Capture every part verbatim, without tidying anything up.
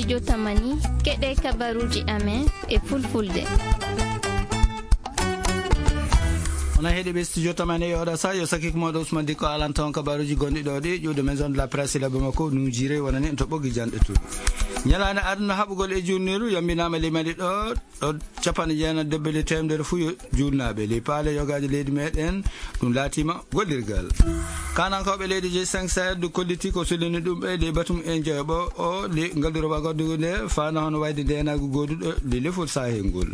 Jotamani, keɗe kabaruji amen e fulfulde. Ona heɗi ɓe studio tamani e oɗa sa yo sakik moɗo Ousmane Dikko alan ton kabaruji gonɗi ɗo ɗi ƴuwde maison de la presse laɓe makko nujire wonani en to ɓoggi janɗe to. Ñalaande aduna haɓugol e junniru yambinama limani ɗo ɗo capanɗe jeenayi debbe le temedere fuu yo juulnaaɓe ley paale yogaaji leydi meɗen. Ɗum laatima gollirgal. Kanankooɓe leydi g cinq sahel du kolliti ko solini ɗum ɓe ley batum e joyoɓo o ley ngalduro wagodugo nde faana hono wayde ndenagu goduɗo ley lefol sahel ngol.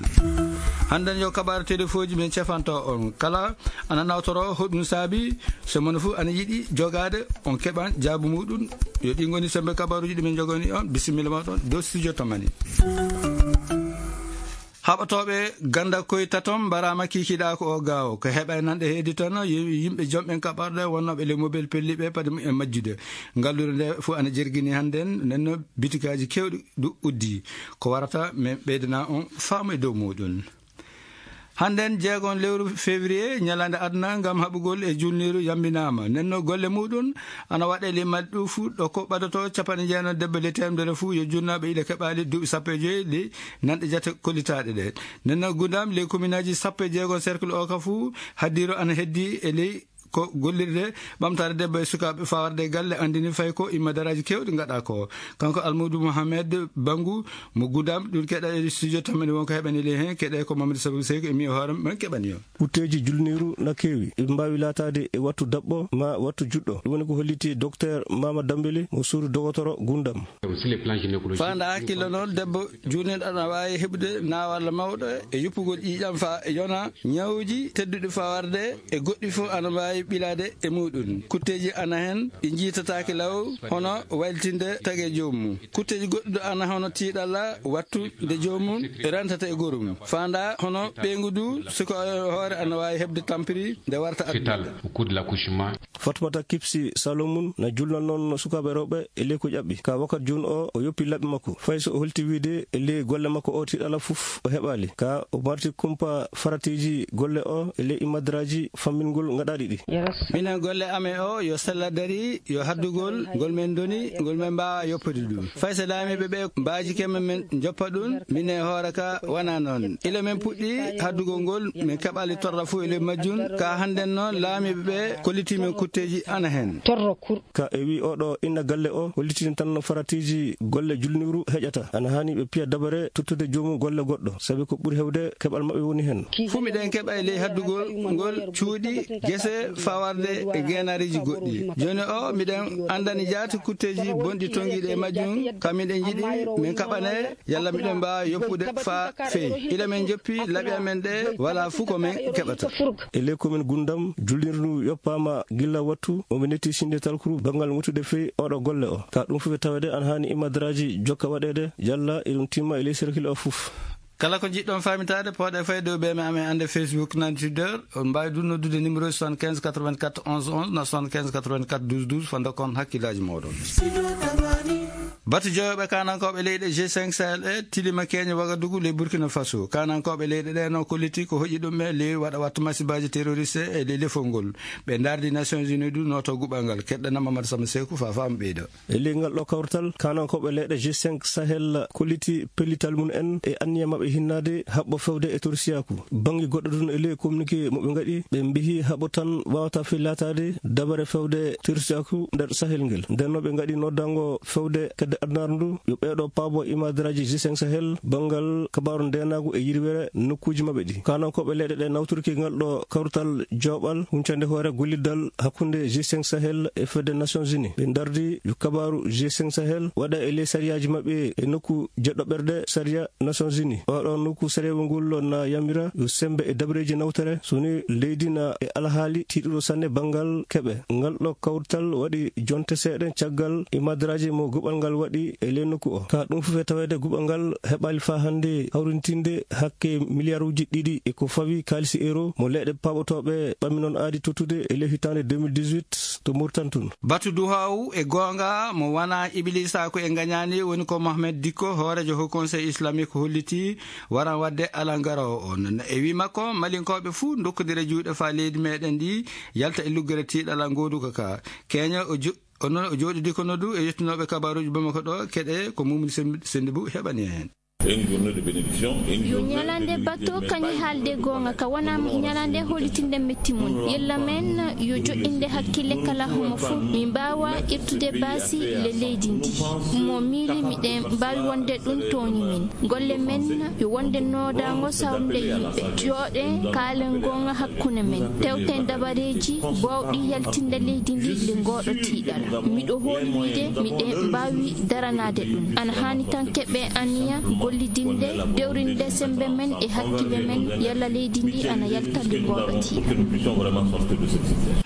Hannden yo kabaru telefoji men cefanto on kala ana nawtoro hoɗum saabi so mono fof ana yiɗi jogaade on keɓan jaabu muɗum. Yo ɗi ngoni sembe kabaruji ɗi min jogani on bisimilla moɗon dow studio tamani. Haɓatooɓe ganda koye taton mbarama kikiɗa ko o gawo ko heɓa e nanɗe heedi tan yimɓe jomɓen kaɓarɗe wonnooɓe le mobile pelliɓe paade mum e majjude. Ngallure nde fof ana jergini hannden nenno bitikaji kewɗi ɗu uddi ko warata min ɓeydana on faamu e dow muɗum. Hannden jeegon lewru février ñalande aduna ngam haɓugol e julniru yambinama nenno golle muɗum ana waɗe le malɗu fuu ɗo ko ɓadoto capanɗe jeenayi debbe le temedere fuu yo junnaɓe ila keɓali duuɓi sappo e joyi le nanɗe jate kollitaɗe ɗe. Nenno gudam le commune aji sappo e jeegon cercle o ka fuu haddiro ana heddi e ley ko gollirde ɓamtaare debbo e sukaaɓe fawarde e galle anndini fay ko imma daraaji keewɗi ngaɗa ko. Kanko Almuudu Mohamed Bangu mo gudam ɗum keɗa e studio tamani wonko heɓani ley heen keɗe ko Mamadou Sabou Seyko e mi e hoore men keɓani o. Kutteeji julniiru na keewi eɓe mbaawi laataade e wattu daɓɓo ma wattu juɗɗo ɗum woni ko holliti docteur Mama Dambeli mo suudu dogotoro gundam. Faanda hakkille noon debbo juulniiɗo ana waawi heɓude naawalla mawɗo e yuppugol ƴiiƴam fa yona ñawuji tedduɗi fawarde e goɗɗi fof ana mbaawi ɓilaade e muɗum kutteeji ana heen ɗi njiitataake law hono waylitinde tagee joomum. Kutteeji goɗɗi ɗo ana hono tiiɗalla wattu nde joomum rentata e gorum faanda hono ɓeyngu du suka hoore ana waawi heɓde tampiri nde warta addude. Fatmata Kipsi Salomun na julna noon sukaaɓe rewɓe e ley ko ƴaɓɓi ka wakat jooni o o yoppi laɓɓi makko fay so o holti wiide e ley golle makko o tiiɗalla fof o heɓaali ka o marti kumpa faratiiji golle o e ley imadraaji fammingol ngaɗaaɗi ɗi. Minen golle amen o yo sella dari yo haddugol ngol men ndoni ngol men mbaawa yoppude ɗum fay so laamiiɓe ɓe mbaajike men men njoppa ɗum minen hoore ka wona noon ila men puɗɗi haddugol ngol min keɓali torra fof e ley majjum ka hannden noon laamiiɓe ɓe kollitii men kutteeji ana heen. Ka e wi oɗo inna galle o hollitii tan no faratiiji golle julniru heƴata ana haani ɓe piya dabare tottude joomum golle goɗɗo sabi ko ɓuri hewde keɓal maɓɓe woni heen. Fuu miɗen keɓa e ley haddugol ngol cuuɗi gese fawarde e geenaariiji goɗɗi. Jooni o miɗen anndani jaati kutteeji bonɗi tonngiiɗi e majjum ka miɗen njiɗi min kaɓane yalla miɗen mbaawa yoppude faa feewi ila min njoppi laɓi amen ɗe walaa fuu ko min keɓata. E ley komin gundam julnirdu yoppaama gilla wattu omo netti sinde talkuru banngal ŋutude fey oɗo golle o ka ɗum fof e tawede ana haani imadraaji jokka waɗeede yalla eɗum timma e ley serkil o fof. Kala ko njiɗɗon faamitaade pooɗe fay dow ɓeeme amen annde facebook nani twitter on mbaawi ɗum noddude numéro soixante-quinze quatre-vingt-quatre onze onze na soixante-quinze quatre-vingt-quatre douze douze fo dokkon hakkillaaji mooɗon. Batu joyoɓe kanankooɓe leyɗe g cinq sahel e tilima keñe wagadugu ley burkina faso kanankooɓe leyɗe ɗe no kolliti ko hoƴi ɗum e ley waɗa wattu masibaaji terroriste e ley lefol ngol ɓe ndardi nations unies du noto guɓal ngal keɗɗanama mata sama seku fa fama ɓeyda. E ley ngal ɗo kawrital kanankooɓe leyɗe g cinq sahel kolliti pellital mum en e anniya maɓɓe hinnaade haɓɓo fewde e torsiyaku bannge goɗɗo tun e ley communiqué mo ɓe ngaɗi ɓe mbihi haɓo tan wawata fey laataade dabare fewde torsiyaku nder sahel ngel ndenno ɓe ngaɗi noddango fewde kedde addunaare ndu yo ɓeeɗo paabo imadraaji g cinq sahel banngal kabaaru ndeenaagu e yirwere nokkuuji maɓɓe ɗi kanankooɓe leyɗe ɗe nawtorki ngal ɗo kawrital jooɓal huncande hoore golliddal hakkunde g cinq sahel e fedde nations unies ɓe ndardi yo kabaaru g cinq sahel waɗa e ley sariyaaji maɓɓe e nokku jeɗɗo ɓerde sariya nations unies oɗo nokku sariyawol ngol na yamira yo sembe e dabreeji nawtere so ni leydi na e alhaali tiiɗuɗo sanne banngal keɓe ngal ɗo kawrital waɗi jonte seeɗa caggal imadraaji mo guɓal ngal waɗi e ley nokku o ka ɗum fof e taweede guɓal ngal heɓaali faa hannde hawrintinde hakke miliyaruuji ɗiɗi e ko fawi kaalisi euro mo leyɗe paaɓotooɓe ɓammi noon aadi tottude e ley hitaande deux mille dix-huit to murtan tun. Batu duhaw e goonga mo wona iblisa ko e ngañaani woni ko mohamed dikko hoorejo ho conseil islamique holliti waran waɗde alangarowo on e wi makko malinkooɓe fuu dokkondira juuɗe faa leydi meɗen ndi yalta e luggere tiiɗala ngooduka ka keña o O noon o jooɗidi ko noddu e yettinooɓe kabaaruuji Bamako ɗo, keɗe ko Mumuni Sen-, Sendibu heɓani en heen. Une journée de bénédiction, une Yo journée ñalande de batto vérité, kañi mais haalde goonga ka wona ñalande holitinde metti mum. Yella men yo joɗɗinde hakkille kala homo fof. Min mbaawa irtude baasi le leydi ndi. Mo miili miɗen mbaawi wonde ɗum tooñi min. Golle men yo wonde noodaango sawnde yimɓe. Jooɗen kaalen goonga hakkunde men. Tewten dabareeji boowɗi yaltinde leydi ndi le ngooɗo tiiɗal. Miɗo hooli wiide miɗen mbaawi daranaade ɗum. Ana haani tan keɓe aniya gollidinde, dewrinde sembe men e hakkille men, yalla leydi ndi ana yalta le ngooɗo tiiɗal.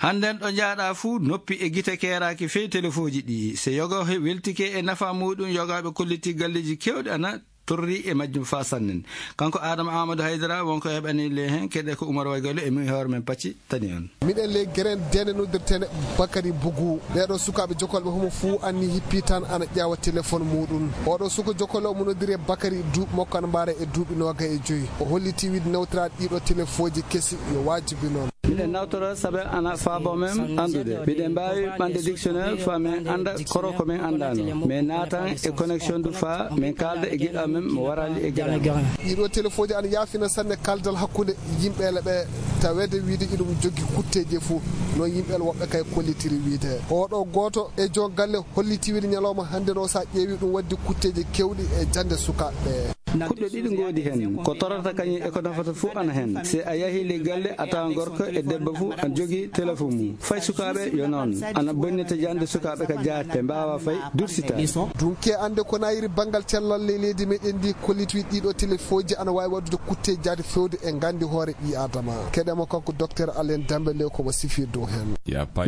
Hannden ɗo njaaɗa fuu, noppi e gite keeraaki fey telefooji ɗi. Se yogo he weltike e nafa muuɗum, yogaaɓe kolliti galleeji keewɗi ana torri e majjum faa sannen. Kanko Adama Amadou Haydara, wonko heɓani le heen, keɗe ko Umar Waygallo e min hoore men pacci tani on. Miɗen le geren dene noddirtene Bakari Bugu. Ɓeɗo sukaaɓe jokolɓe homo fuu anni hippi tan ana ƴaawa telefon muuɗum. Oɗo suko jokollo mo noddiri Bakari duuɓi makko ana mbaara e duuɓi noogay e joyi. O holliti wiide nawtiraade ɗiɗo telefooji kesi yo waajibi noon. Miɗen nawtora sabe ana faabo men anndude. Miɗen mbaawi ɓande dictionnaire faa men annda koro ko men anndaano. Men naatan e connexion du faa men kaalda e giɗo men mo waraali e garaama. Ɗiɗo telefooji ana yaafina sanne kaldal hakkunde yimɓe ele ɓe taweede wiide iɗum joggi kutteeji fof. Noon yimɓe ele woɓɓe kay kollitiri wiide. Oɗo gooto e jon galle holliti wiide ñalawma hannde no sa ƴeewi ɗum waddi kutteeji kewɗi e jannde sukaaɓe ɓe. Kuɗɗe ɗiɗi ngoodi heen. Ko torata kañum e ko nafata fof ana heen. Se a yahii le galle, a tawa gorko e debbo fof ana jogii telefon mum. Fay sukaaɓe yo noon. Ana bonnita jannde sukaaɓe ka jaati. Ɓe mbaawa fay dursitaade. Dunke annde ko nayiri banngal cellal ley leydi meɗen ndi kolliti ɗiɗo telefooji ana waawi waɗude kutte jaati fewde e nganndi hoore ɓii Adama. Keɗemo kanko Docteur Alain Dembélé ko mo sifi dow heen.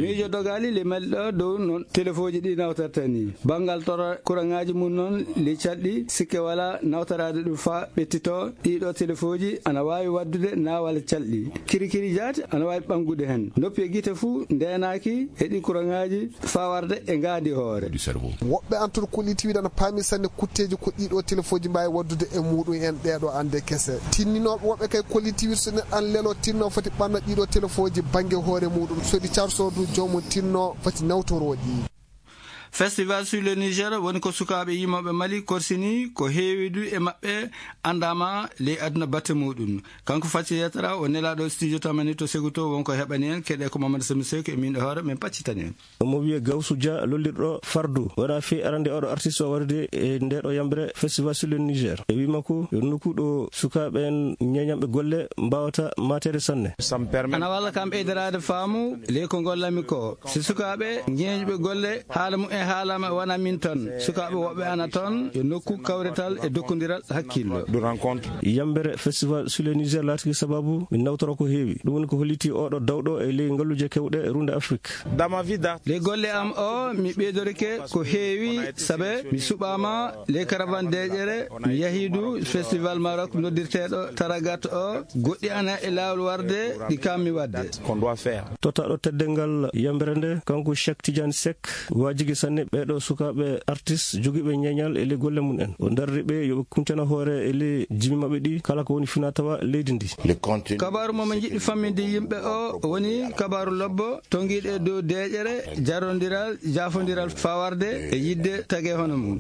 Miijo dogaali le mel ɗo dow noon telefooji ɗi nawtorta ni. Banngal tora kuraŋaaji mum noon, le calɗi sikke wala nawtoraade ɗum faa ɓettito. Ɗiɗo telefooji ana waawi waɗdude naawal calɗi. Kirikiri jaati ana waawi ɓanngude heen. Noppi e gite fuu ndeenaaki e ɗi kuraŋaaji faa warde e ngaandi hoore. Woɓɓe an toon kolliti wiide ana paami sanne kutteeji ko ɗiɗo telefooji mbaawi waɗdude e muɗum en ɗeeɗo annde kese. Tinninooɓe woɓɓe kay kolliti wiide so neɗɗo an lelo tinno foti ɓanna ɗiɗo telefooji bannge hoore muɗum. So ɗi carso du joomum tinno foti nawtorooɗi. Festival sur le Niger woni ko sukaaɓe yimooɓe Mali korsini ko heewi du e maɓɓe anndaama ley aduna batte muɗum. Kanko Fatiyatara o nelaaɗo studio tamani to Seguto wonko heɓani en keɗe ko Mamadou Sami Seck e min e hoore men paccitani en. Omo wiyee Gawsu Dia lollirɗo Fardu. Wona fii arande oɗo artiste o warude e ndeɗo yambre Festival sur le Niger. E wii makko yo nokku ɗo sukaaɓe en ñeeñanɓe golle mbaawata maateede sanne. Ana walla kam ɓeydaraade faamu ley ko ngollami ko. Si sukaaɓe ñeeñuɓe golle haala mum en haalama wona min tan. Sukaaɓe woɓɓe ana toon yo nokku kawrital e dokkondiral hakkillo. Yambre Festival sur le Niger laatiki sababu min nawtora ko heewi. Ɗum woni ko holliti oɗo dawɗo e ley ngalluuje kewɗe e runde Afrik. Dans ma vie d'art. Ley golle am o, mi ɓeydorike ko heewi, sabe mi suɓaama ley caravane deeƴere, mi yahii du festival Maroc noddirteeɗo Taragat o, goɗɗi ana e laawol warde, ɗi kaammi waɗde. Qu'on doit faire. Tottaaɗo teddeengal yambre nde, kanko Cheikh Tidiane Seck, waajigi sanne ɓeeɗo sukaaɓe artiste jogiiɓe ñeeñal e ley golle mum en. O darri ɓe yo ɓe kuntena hoore e ley jimi maɓɓe ɗi, kala ko woni finaa tawa leydi ndi. Kabaaru mo min njiɗi famminde yimɓe o woni kabaaru lobbo, tongiiɗo e dow deeƴere, jarondiral, jaafondiral fawarde e yiɗde tagee hono mum.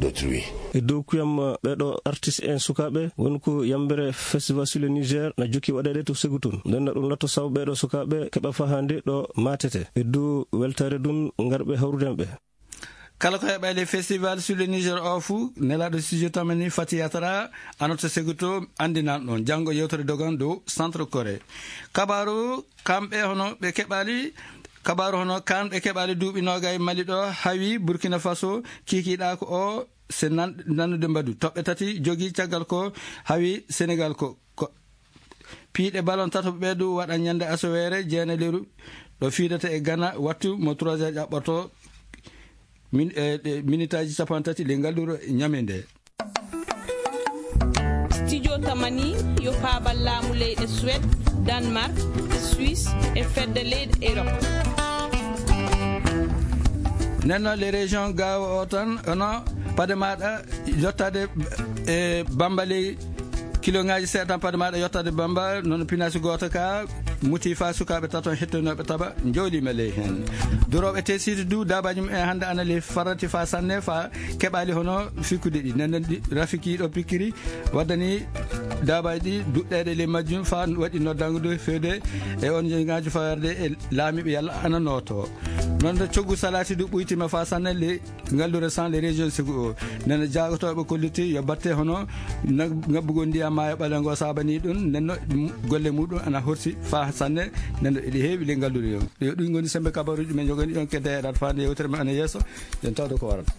E dow kuyam, ɓeeɗo artiste en sukaaɓe, woni ko yambre Festival sur le Niger na jokki waɗeede to Ségou toon. Nden na ɗum latto sabu ɓeeɗo sukaaɓe keɓa fahaande ɗo maatete. E dow weltaare ɗum ngarɓe hawrude ɓe. Kala ko heɓa e ley Festival sur le Niger o fuu, nelaaɗo studio tamani Fati Yatara, ano to Ségou to, anndinan ɗon. Janngo yewtere dogan dow Centre Corée. Kabaaru, kamɓe hono ɓe keɓaali, kabaaru hono kan ɓe keɓaali duuɓi noogay Mali ɗo, hawi Burkina Faso, kiikiiɗaako o, se nan-, nannude mbadu. Toɓɓe tati jogii caggal ko hawi Senegal ko, ko piiɗe ballon tataɓo ɓe du waɗa ñande asoweere jeenaleeru ɗo fiidata e Ghana wattu mo trois heures ƴaɓɓoto min-, e, ɗe minitaaji cappanɗe tati ley ngal ɗuro ñame nde. Studio Tamani yo paabal laamu leyɗe Suède, Danemark, Suisse e fedde leyɗe Europe. Nden noon, les régions gaawo o tan, hono pade maaɗa yottaade e Bamba ley, kiloŋaaji seeɗa tan pade maaɗa yottaade Bamba, noon pinasi gooto ka, Muti fa sukaaɓe tato hettonooɓe taɓa, njooliima ley heen. Durooɓe tesiido du, daabaaji mum en hannde ana ley farrati fa sanne, fa keɓaali hono fikkude ɗi. Nden noon ɗi, Rafiki ɗo pikkiri, waddani daabaaji ɗi duɗɗeede ley majjum, fa waɗi noddangu du feewde e on njeñaajo fawerde e laamiiɓe yalla ana nooto. Noon nde coggu salaati du ɓuytima fa sanne ley ngallure sans les régions segu o. Nana jaagotooɓe kolliti yo batte hono na-, ngabbugol ndiyam maayo ɓaleego saabanii ɗum, nden no ɗum golle muɗum ana horsi fa sanne, nden no eɗi heewi ley ngallure o. Yo ɗum ngoni sembe kabaruuji men njogani on kedde e ɗaɗa faande yewtere men ana yeeso, nden tawde ko warata.